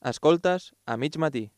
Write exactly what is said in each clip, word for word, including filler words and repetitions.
Escoltes a mig matí.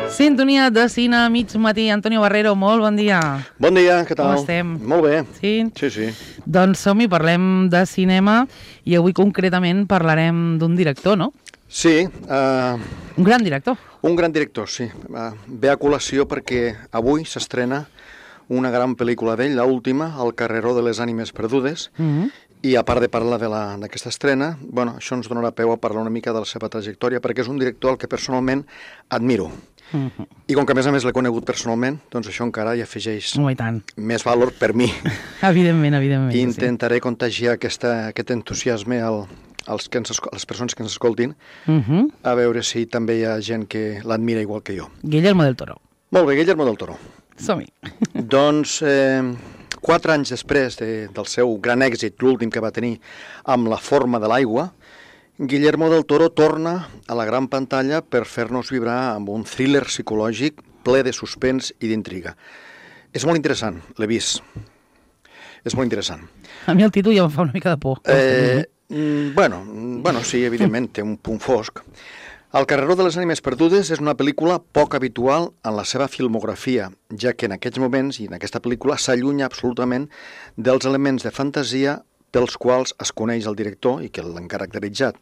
Sintonia de cine a mig matí. Antonio Barrero, molt bon dia. Bon dia, què tal? Com estem? Molt bé. Sí? Sí, sí. Doncs som-hi, parlem de cinema i avui concretament parlarem d'un director, no? Sí. Uh, un gran director. Un gran director, sí. Uh, ve a col·lació perquè avui s'estrena una gran pel·lícula d'ell, l'última, El carreró de les ànimes perdudes, Mm-hmm. i a part de parlar d'aquesta estrena, bueno, això ens donarà peu a parlar una mica de la seva trajectòria, perquè és un director al que personalment admiro. Mm-hmm. I com que a més a més l'he conegut personalment, doncs això encara hi afegeix Oh, i tant. més valor per mi. Evidentment, evidentment. I intentaré sí. contagiar aquesta, aquest entusiasme al, als que ens, a les persones que ens escoltin, Mm-hmm. a veure si també hi ha gent que l'admira igual que jo. Guillermo del Toro. Molt bé, Guillermo del Toro. Som-hi. Doncs eh, quatre anys després de, del seu gran èxit, l'últim que va tenir amb La forma de l'aigua, Guillermo del Toro torna a la gran pantalla per fer-nos vibrar amb un thriller psicològic ple de suspens i d'intriga. És molt interessant, l'he vist. És molt interessant. A mi el títol ja em fa una mica de por. Eh, mm, bueno, bueno, sí, evidentment, té un punt fosc. El carreró de les ànimes perdudes és una pel·lícula poc habitual en la seva filmografia, ja que en aquests moments i en aquesta pel·lícula s'allunya absolutament dels elements de fantasia pels quals es coneix el director i que l'han caracteritzat,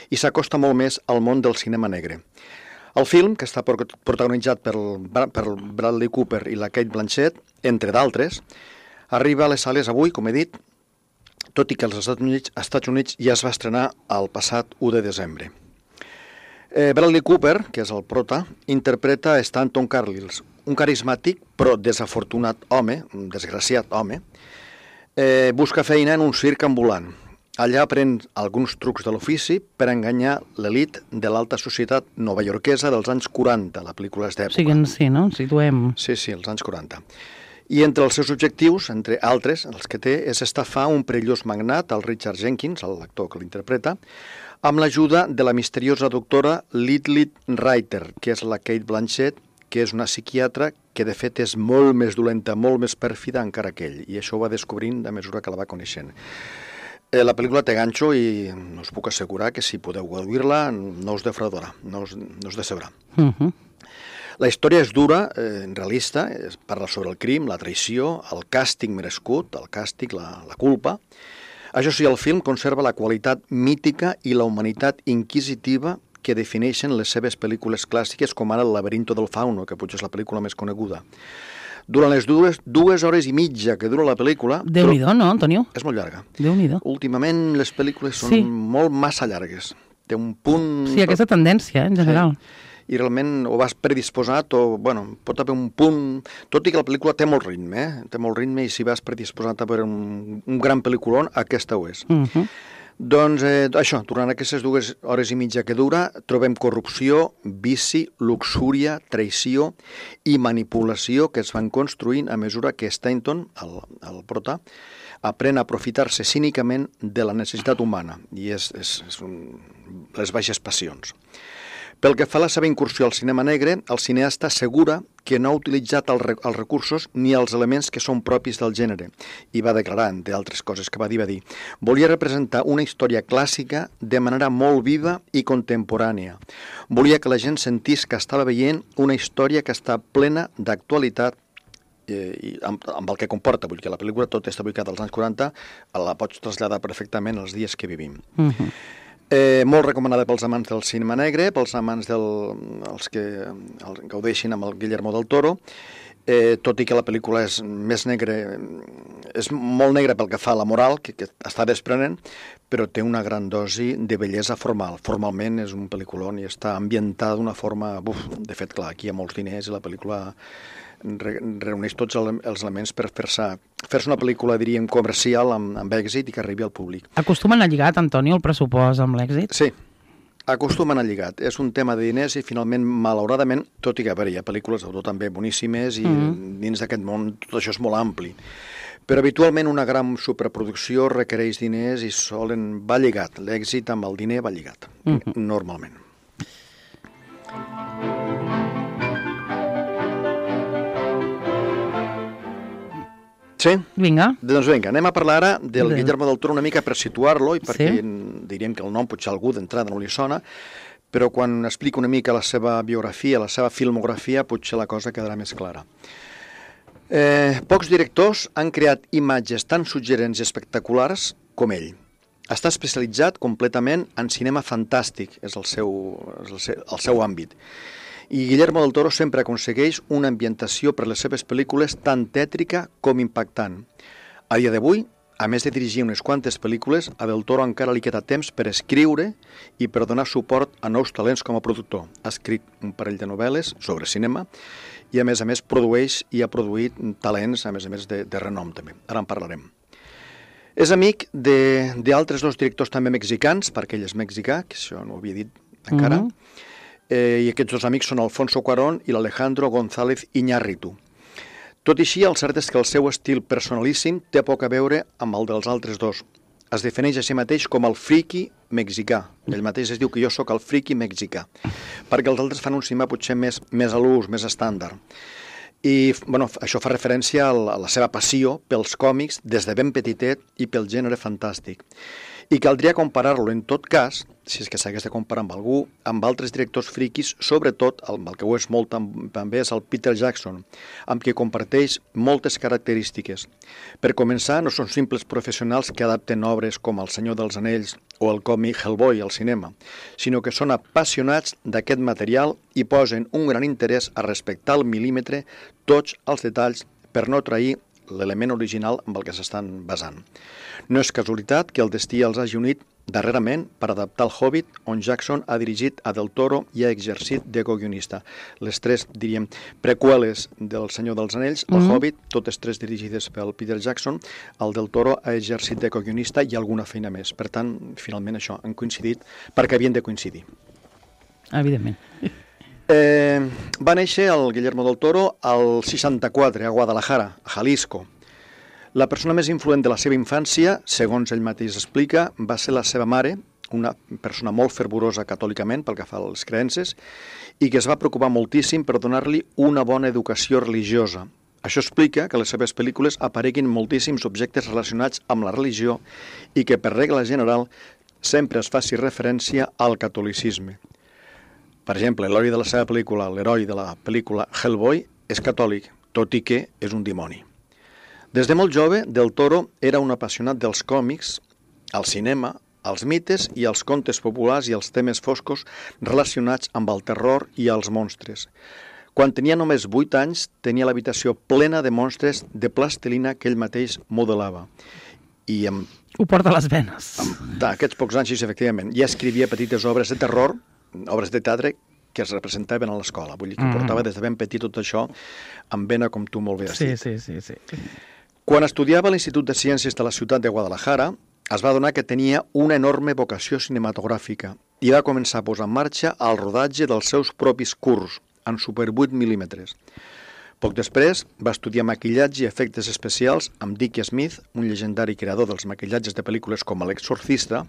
i s'acosta molt més al món del cinema negre. El film, que està protagonitzat per, per Bradley Cooper i la Cate Blanchett, entre d'altres, arriba a les sales avui, com he dit, tot i que als Estats Units, Estats Units ja es va estrenar el passat u de desembre. Eh, Bradley Cooper, que és el prota, interpreta Stanton Carlisle, un carismàtic però desafortunat home, un desgraciat home, eh, busca feina en un circ ambulant. Allà aprèn alguns trucs de l'ofici per enganyar l'elit de l'alta societat novaiorquesa dels anys quaranta, la pel·lícula és d'època. O sigui, sí, no? Ens situem. Sí, sí, els anys quaranta. I entre els seus objectius, entre altres, els que té, és estafar un perillós magnat, el Richard Jenkins, l'actor que l'interpreta, amb l'ajuda de la misteriosa doctora Lilith Reiter, que és la Cate Blanchett, que és una psiquiatra que de fet és molt més dolenta, molt més pèrfida encara que ell, i això ho va descobrint a mesura que la va coneixent. Eh, la pel·lícula té ganxo i no us puc assegurar que si podeu gaudir-la no us defraudarà, no us, no us decebrà. Uh-huh. La història és dura, eh, realista, es parla sobre el crim, la traïció, el càstig merescut, el càstig, la, la culpa. Això sí, el film conserva la qualitat mítica i la humanitat inquisitiva que defineixen les seves pel·lícules clàssiques, com ara El laberinto del fauno, que potser és la pel·lícula més coneguda. Durant les dues, dues hores i mitja que dura la pel·lícula... Déu-n'hi-do, no, Antonio? És molt llarga. Déu-n'hi-do. Últimament les pel·lícules són Sí. molt massa llargues. Té un punt... Sí, aquesta tendència, eh, en general. Sí. I realment o vas predisposat o, bueno, pot haver un punt... Tot i que la pel·lícula té molt ritme, eh? Té molt ritme i si vas predisposat a veure un, un gran pel·lículon, aquesta ho és. Uh-huh. Doncs eh, això, durant aquestes dues hores i mitja que dura, trobem corrupció, vici, luxúria, traïció i manipulació que es van construint a mesura que Stanton, el, el prota, aprèn a aprofitar-se cínicament de la necessitat humana, i és, és, és un, les baixes passions. Pel que fa a la seva incursió al cinema negre, el cineasta assegura que no ha utilitzat el, els recursos ni els elements que són propis del gènere, i va declarar, entre altres coses que va dir, va dir volia representar una història clàssica de manera molt viva i contemporània. Volia que la gent sentís que estava veient una història que està plena d'actualitat eh, i amb, amb el que comporta, vull dir que la pel·lícula tot està ubicada als anys quaranta, la pots traslladar perfectament als dies que vivim. Uh-huh. Eh, molt recomanada pels amants del cinema negre, pels amants del, els que el, gaudeixin amb el Guillermo del Toro, eh, tot i que la pel·lícula és més negra, és molt negra pel que fa a la moral, que, que està desprenent, però té una gran dosi de bellesa formal. Formalment és un pel·lículon i està ambientada d'una forma... Buf, de fet, clar, aquí hi ha molts diners i la pel·lícula re, reuneix tots el, els elements per fer-se fer una pel·lícula, diríem, comercial amb, amb èxit i que arribi al públic. Acostumen a lligat, Antonio, el pressupost amb l'èxit? Sí, acostumen a lligat. És un tema de diners i finalment, malauradament, tot i que a veure, hi ha pel·lícules d'autor també boníssimes i mm. dins d'aquest món tot això és molt ampli. Però habitualment una gran superproducció requereix diners i solen va lligat. L'èxit amb el diner va lligat, mm-hmm. normalment. Sí? Vinga. Doncs vinga, anem a parlar ara del de... Guillermo del Toro una mica per situar-lo i perquè sí? diríem que el nom potser a algú d'entrada no li sona, però quan explico una mica la seva biografia, la seva filmografia, potser la cosa quedarà més clara. Eh, pocs directors han creat imatges tan suggerents i espectaculars com ell. Està especialitzat completament en cinema fantàstic, és el seu, és el seu, el seu àmbit. I Guillermo del Toro sempre aconsegueix una ambientació per les seves pel·lícules tan tètrica com impactant. A dia d'avui, a més de dirigir unes quantes pel·lícules, a Del Toro encara li queda temps per escriure i per donar suport a nous talents com a productor. Ha escrit un parell de novel·les sobre cinema i, a més a més, produeix i ha produït talents, a més a més, de, de renom també. Ara en parlarem. És amic d'altres dos directors també mexicans, perquè ell és mexicà, que això no ho havia dit encara, mm-hmm. eh, i aquests dos amics són Alfonso Cuarón i l'Alejandro González Iñárritu. Tot i així, el cert és que el seu estil personalíssim té poc a veure amb el dels altres dos. Es defineix a si mateix com el friki mexicà. Ell mateix es diu que jo sóc el friki mexicà, perquè els altres fan un cinema potser més, més a l'ús, més estàndard. I bueno, això fa referència a la, a la seva passió pels còmics des de ben petitet i pel gènere fantàstic. I caldria comparar-lo, en tot cas, si és que s'hagués de comparar amb algú, amb altres directors friquis, sobretot el, el que ho és molt també és el Peter Jackson, amb qui comparteix moltes característiques. Per començar, no són simples professionals que adapten obres com El Senyor dels Anells o el còmic Hellboy al cinema, sinó que són apassionats d'aquest material i posen un gran interès a respectar al mil·límetre tots els detalls per no trair l'element original amb el que s'estan basant. No és casualitat que el destí els hagi unit darrerament per adaptar el Hobbit, on Jackson ha dirigit a Del Toro i ha exercit de co-guionista. Les tres, diríem, preqüeles del Senyor dels Anells, el mm-hmm. Hobbit, totes tres dirigides pel Peter Jackson, el Del Toro ha exercit de co-guionista i alguna feina més. Per tant, finalment això, han coincidit perquè havien de coincidir. Evidentment. Eh, va néixer el Guillermo del Toro al seixanta-quatre, a Guadalajara, a Jalisco. La persona més influent de la seva infància, segons ell mateix explica, va ser la seva mare, una persona molt fervorosa catòlicament pel que fa a les creences, i que es va preocupar moltíssim per donar-li una bona educació religiosa. Això explica que les seves pel·lícules apareguin moltíssims objectes relacionats amb la religió i que, per regla general, sempre es faci referència al catolicisme. Per exemple, l'heroi de la seva pel·lícula, l'heroi de la pel·lícula Hellboy, és catòlic, tot i que és un dimoni. Des de molt jove, Del Toro era un apassionat dels còmics, el cinema, els mites i els contes populars i els temes foscos relacionats amb el terror i els monstres. Quan tenia només vuit anys, tenia l'habitació plena de monstres de plastilina que ell mateix modelava. I amb, Ho porta a les venes. amb aquests pocs anys, efectivament, ja escrivia petites obres de terror, obres de teatre que es representaven a l'escola. Vull dir que mm. portava des de ben petit tot això amb vena, com tu molt bé has sí, dit. Sí, sí, sí. Quan estudiava a l'Institut de Ciències de la ciutat de Guadalajara, es va adonar que tenia una enorme vocació cinematogràfica i va començar a posar en marxa el rodatge dels seus propis curts, en Super vuit mil·límetres. Poc després va estudiar maquillatge i efectes especials amb Dick Smith, un llegendari creador dels maquillatges de pel·lícules com L'Exorcista,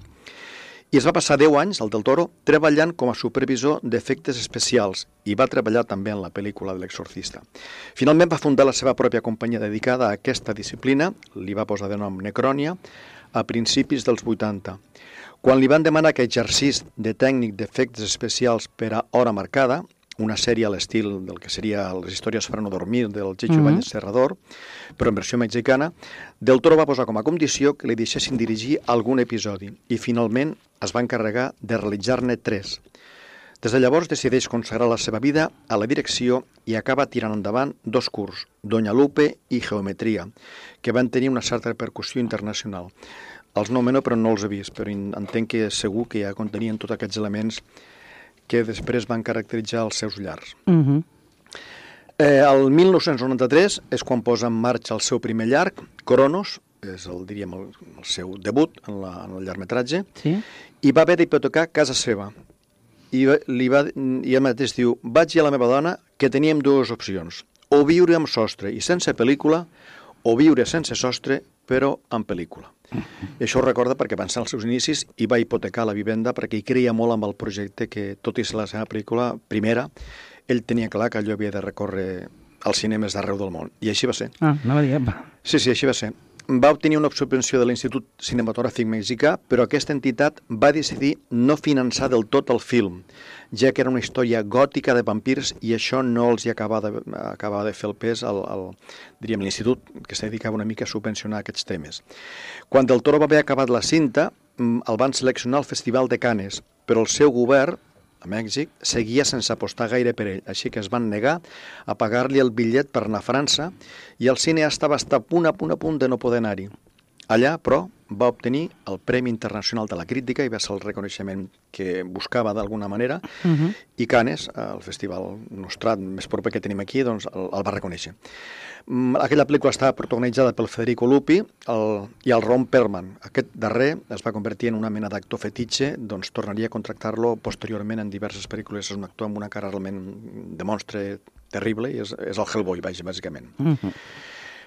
i es va passar deu anys, el Del Toro, treballant com a supervisor d'efectes especials i va treballar també en la pel·lícula de L'Exorcista. Finalment va fundar la seva pròpia companyia dedicada a aquesta disciplina, li va posar de nom Necrònia, a principis dels vuitanta. Quan li van demanar que exercís de tècnic d'efectes especials per a hora marcada, una sèrie a l'estil del que seria Les històries per no dormir del Checho mm-hmm. Ibáñez Serrador, però en versió mexicana, Del Toro va posar com a condició que li deixessin dirigir algun episodi i finalment es va encarregar de realitzar-ne tres. Des de llavors decideix consagrar la seva vida a la direcció i acaba tirant endavant dos curts, Doña Lupe i Geometria, que van tenir una certa repercussió internacional. Els nomeno però no els he vist, però entenc que segur que ja contenien tots aquests elements que després van caracteritzar els seus llars. Mm-hmm. Eh, el mil nou-cents noranta-tres és quan posa en marxa el seu primer llarg, Cronos, és el, diríem, el, el seu debut en, la, en el llargmetratge, Sí? i va haver d'hipotecar casa seva. I, va- li va, I ell mateix diu, vaig dir a la meva dona que teníem dues opcions, o viure amb sostre i sense pel·lícula, o viure sense sostre però amb pel·lícula. I això ho recorda perquè va ser als seus inicis i va hipotecar la vivenda perquè hi creia molt amb el projecte que, tot i ser la seva pel·lícula primera, ell tenia clar que allò havia de recórrer als cinemes d'arreu del món. I així va ser. Ah, anava a dir, apa. Sí, sí, així va ser. Va obtenir una subvenció de l'Institut Cinematogràfic Mexicà, però aquesta entitat va decidir no finançar del tot el film, ja que era una història gòtica de vampirs i això no els hi acabava de, acabava de fer el pes al, al diríem, l'institut, que se dedicava una mica a subvencionar aquests temes. Quan Del Toro va haver acabat la cinta, mm, el van seleccionar al Festival de Cannes, però el seu govern, a Mèxic, seguia sense apostar gaire per ell, així que es van negar a pagar-li el bitllet per anar a França i el cineasta va estar a punt, a punt, a punt de no poder anar-hi. Allà, però, va obtenir el Premi Internacional de la Crítica i va ser el reconeixement que buscava d'alguna manera, Uh -huh. i Cannes, el festival nostrat més proper que tenim aquí, doncs el, el va reconèixer. Mm, Aquella pel·lícula estava protagonitzada pel Federico Lupi el, i el Ron Perlman. Aquest darrer es va convertir en una mena d'actor fetitxe, doncs tornaria a contractar-lo posteriorment en diverses pel·lícules. És un actor amb una cara realment de monstre terrible i és, és el Hellboy, vaja, bàsicament. Uh -huh.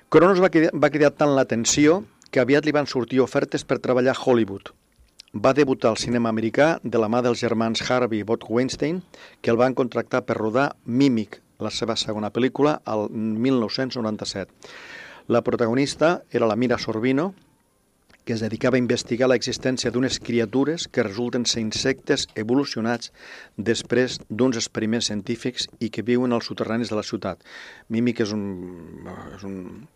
Cronos va cridar, va cridar tant l'atenció que aviat li van sortir ofertes per treballar a Hollywood. Va debutar al cinema americà de la mà dels germans Harvey i Bob Weinstein, que el van contractar per rodar Mímic, la seva segona pel·lícula, al mil nou-cents noranta-set. La protagonista era la Mira Sorvino, que es dedicava a investigar l'existència d'unes criatures que resulten ser insectes evolucionats després d'uns experiments científics i que viuen als soterranis de la ciutat. Mímic és un... És un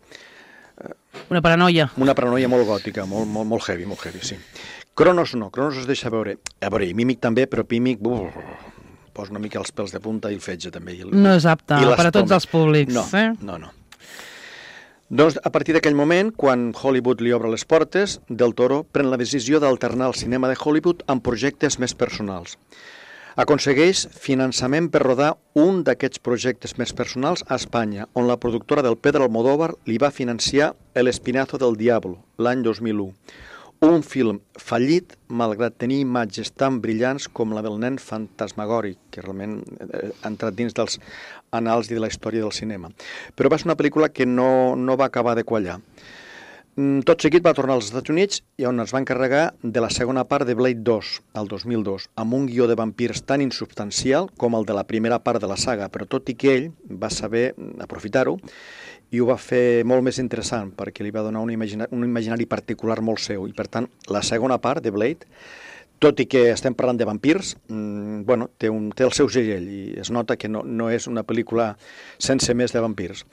Una paranoia. una paranoia molt gòtica, molt, molt, molt heavy, molt heavy, sí. Cronos no, Cronos es deixa veure. A veure, i Mímic també, però Mímic uf, posa una mica els pèls de punta i el fetge també. I el, No és apte i per a tots l'estómac. els públics. No, eh? no, no. Doncs a partir d'aquell moment, quan Hollywood li obre les portes, Del Toro pren la decisió d'alternar el cinema de Hollywood amb projectes més personals. Aconsegueix finançament per rodar un d'aquests projectes més personals a Espanya, on la productora del Pedro Almodóvar li va financiar El Espinazo del Diablo, l'any dos mil u. Un film fallit, malgrat tenir imatges tan brillants com la del nen fantasmagòric, que realment ha entrat dins dels anals i de la història del cinema. Però va ser una pel·lícula que no, no va acabar de quallar. Tot seguit va tornar als Estats Units i on es va encarregar de la segona part de Blade dos, el dos mil dos, amb un guió de vampirs tan insubstancial com el de la primera part de la saga, però tot i que ell va saber aprofitar-ho i ho va fer molt més interessant perquè li va donar un, imagina un imaginari particular molt seu i per tant la segona part de Blade, tot i que estem parlant de vampirs, mmm, bueno, té, un, té el seu segell i es nota que no, no és una pel·lícula sense més de vampirs.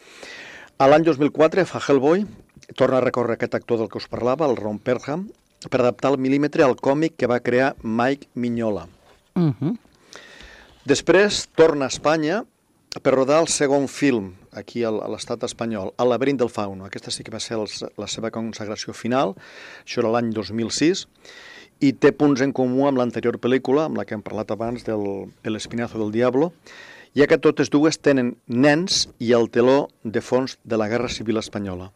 A l'any dos mil quatre fa Hellboy, torna a recórrer aquest actor del que us parlava, el Ron Perlman, per adaptar al mil·límetre al còmic que va crear Mike Mignola. Uh -huh. Després torna a Espanya per rodar el segon film, aquí a l'estat espanyol, El laberint del fauno. Aquesta sí que va ser els, la seva consagració final, això era l'any dos mil sis, i té punts en comú amb l'anterior pel·lícula, amb la que hem parlat abans, del El Espinazo del Diablo, ja que totes dues tenen nens i el teló de fons de la Guerra Civil Espanyola.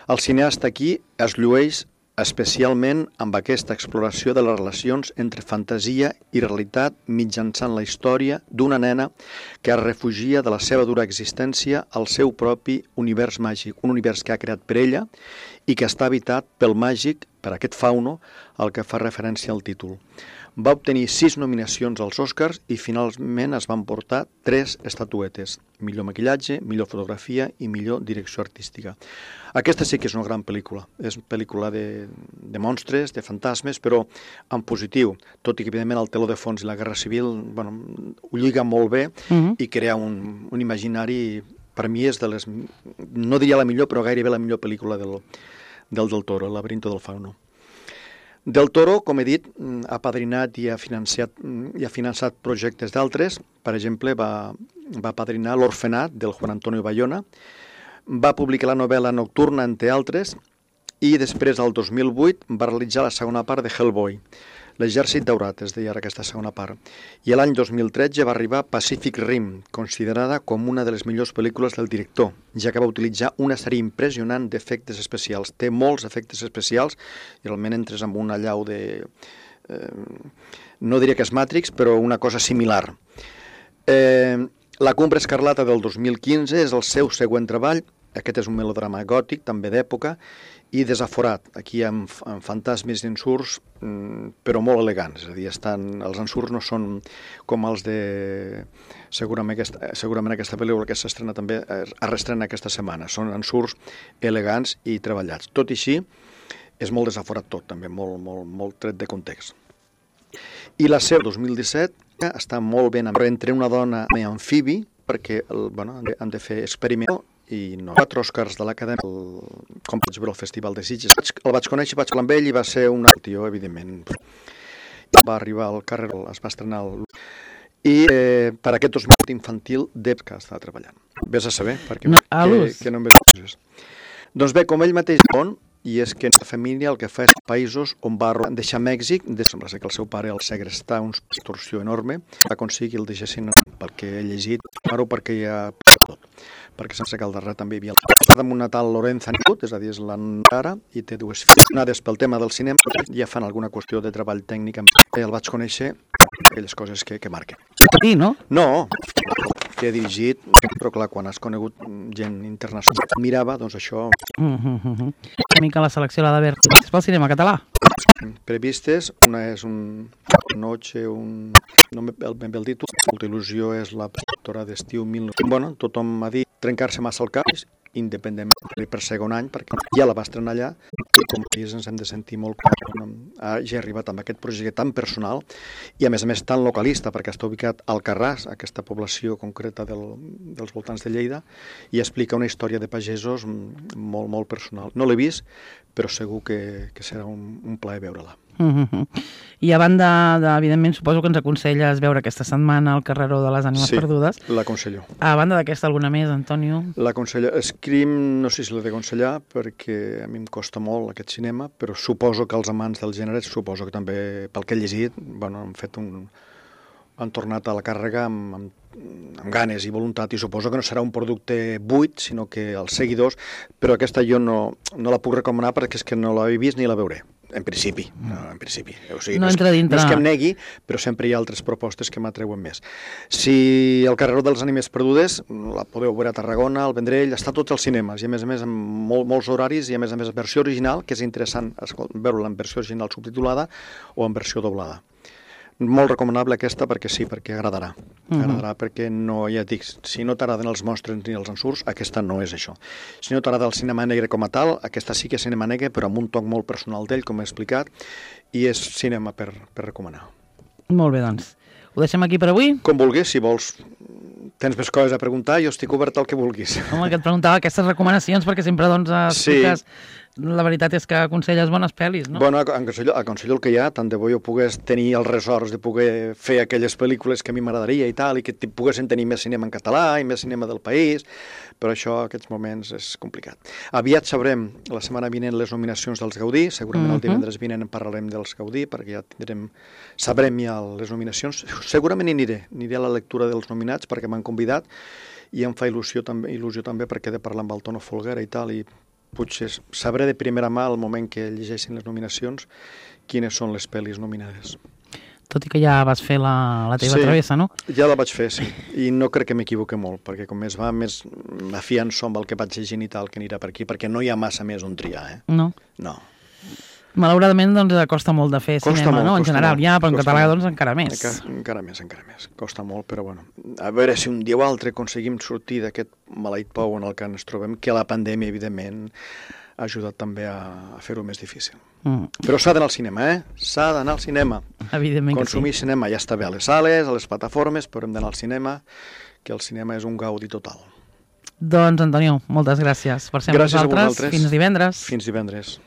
El cineasta aquí es llueix especialment amb aquesta exploració de les relacions entre fantasia i realitat mitjançant la història d'una nena que es refugia de la seva dura existència al seu propi univers màgic, un univers que ha creat per ella i que està habitat pel màgic, per aquest fauno, al que fa referència al títol. Va obtenir sis nominacions als Oscars i finalment es van portar tres estatuetes, millor maquillatge, millor fotografia i millor direcció artística. Aquesta sí que és una gran pel·lícula, és una pel·lícula de, de monstres, de fantasmes, però en positiu, tot i que evidentment el teló de fons i la Guerra Civil bueno, ho lliga molt bé uh -huh. i crea un, un imaginari, per mi és de les, no diria la millor, però gairebé la millor pel·lícula del, del Del Toro, El laberinto del fauno. Del Toro, com he dit, ha padrinat i ha financiat, i ha finançat projectes d'altres. Per exemple, va, va padrinar L'Orfenat, del Juan Antonio Bayona, va publicar la novel·la Nocturna, entre altres, i després, el dos mil vuit, va realitzar la segona part de Hellboy. L'Exèrcit Daurat, es deia ara aquesta segona part. I l'any dos mil tretze va arribar Pacific Rim, considerada com una de les millors pel·lícules del director, ja que va utilitzar una sèrie impressionant d'efectes especials. Té molts efectes especials i realment entres amb una allau de... Eh, no diria que és Matrix, però una cosa similar. Eh, la Cumbre Escarlata del dos mil quinze és el seu següent treball. Aquest és un melodrama gòtic, també d'època, i desaforat. Aquí hi ha amb fantasmes i ensurts, però molt elegants. És a dir, estan, els ensurts no són com els de... Segurament aquesta, segurament aquesta pel·lícula que s'estrena també, es reestrena aquesta setmana. Són ensurts elegants i treballats. Tot i així, és molt desaforat tot, també, molt, molt, molt tret de context. I la seva dos mil disset està molt ben entre una dona i amfibi, perquè el, bueno, han de fer experiment i no. Quatre Oscars de l'Acadèmia, com vaig veure el Festival de Sitges. El vaig conèixer, vaig parlar amb ell i va ser un tio, evidentment. Va arribar al carrer, es va estrenar el... I eh, per aquest dos mil infantil de que estava treballant. Vés a saber, perquè no, que, que no em veig. Doncs bé, com ell mateix diu, i és que la família el que fa és països on va deixar Mèxic, sembla ser que el seu pare el segrestà una extorsió enorme, va aconseguir el deixessin pel que he llegit, però perquè hi ha tot, perquè sense que al darrere també hi havia el amb una tal Lorenza Nibut, és a dir, és la Nara, i té dues filles. Pel tema del cinema ja fan alguna qüestió de treball tècnic, el vaig conèixer aquelles coses que, que marquen. Sí, no? No, que he dirigit, però clar, quan has conegut gent internacional que mirava, doncs això... Mm-hmm. Una mica la selecció l'ha d'haver pel cinema català. Previstes, una és un Noche, un... no ben bé el títol, molta il·lusió és la productora d'estiu mil nou-cents... Bueno, tothom m'ha dit trencar-se massa el cap, independentment per segon any, perquè ja la va estrenar allà, i com a país ens hem de sentir molt quan hagi arribat amb aquest projecte tan personal i a més a més tan localista, perquè està ubicat al Carràs, aquesta població concreta del, dels voltants de Lleida, i explica una història de pagesos molt, molt personal. No l'he vist, però segur que, que serà un, un plaer veure-la. Mm-hmm. I a banda, de, evidentment, suposo que ens aconselles veure aquesta setmana el Carreró de les Ànimes sí, Perdudes. Sí, l'aconsello. A banda d'aquesta, alguna més, Antonio? L'aconsello. Scream, no sé si l'he d'aconsellar, perquè a mi em costa molt aquest cinema, però suposo que els amants del gènere, suposo que també, pel que he llegit, bueno, han fet un... han tornat a la càrrega amb, amb, amb ganes i voluntat, i suposo que no serà un producte buit, sinó que els seguidors, però aquesta jo no, no la puc recomanar perquè és que no l'he vist ni la veuré. En principi, no, en principi. O sigui, no, no, és, entra dintre... no és que em negui, però sempre hi ha altres propostes que m'atreuen més. Si el Carreró de les Ànimes Perdudes, la podeu veure a Tarragona, al Vendrell, està a tots els cinemes, i a més a més amb molt, molts horaris, i a més a més versió original, que és interessant veure-la en versió original subtitulada o en versió doblada. Molt recomanable aquesta perquè sí, perquè agradarà. Uh-huh. Agradarà perquè no, ja et dic, si no t'agraden els monstres ni els ensurts, aquesta no és això. Si no t'agrada el cinema negre com a tal, aquesta sí que és cinema negre, però amb un toc molt personal d'ell, com he explicat, i és cinema per, per recomanar. Molt bé, doncs. Ho deixem aquí per avui? Com vulguis, si vols... Tens més coses a preguntar, jo estic obert al que vulguis. Home, que et preguntava aquestes recomanacions, perquè sempre doncs, expliques... Sí. La veritat és que aconselles bones pel·lis, no? Bueno, aconsello, aconsello el que hi ha, tant de bo jo pogués tenir els ressorts de poder fer aquelles pel·lícules que a mi m'agradaria i tal, i que poguessin tenir més cinema en català i més cinema del país, però això, aquests moments, és complicat. Aviat sabrem, la setmana vinent, les nominacions dels Gaudí, segurament uh-huh. el divendres vinent en parlarem dels Gaudí, perquè ja tindrem, sabrem ja les nominacions. Segurament hi aniré, aniré a la lectura dels nominats, perquè m'han convidat, i em fa il·lusió també, il·lusió també perquè he de parlar amb el Tono Folguera i tal, i potser sabré de primera mà al moment que llegeixin les nominacions quines són les pel·lis nominades. Tot i que ja vas fer la, la teva sí, travessa, no? Ja la vaig fer, sí. I no crec que m'equivoque molt, perquè com més va, més m'afianço amb el que vaig llegint i tal, que anirà per aquí, perquè no hi ha massa més on triar, eh? No? No. Malauradament, doncs, costa molt de fer costa cinema, molt, no? En general, molt, ja, però en català, molt. doncs, encara més. Encara, encara més, encara més. Costa molt, però bueno. A veure si un dia o altre aconseguim sortir d'aquest maleït pou en el que ens trobem, que la pandèmia, evidentment, ha ajudat també a, a fer-ho més difícil. Mm. Però s'ha d'anar al cinema, eh? S'ha d'anar al cinema. Evidentment que sí. Consumir cinema ja està bé a les sales, a les plataformes, però hem d'anar al cinema, que el cinema és un gaudi total. Doncs, Antonio, moltes gràcies per ser amb gràcies nosaltres. Fins divendres. Fins divendres.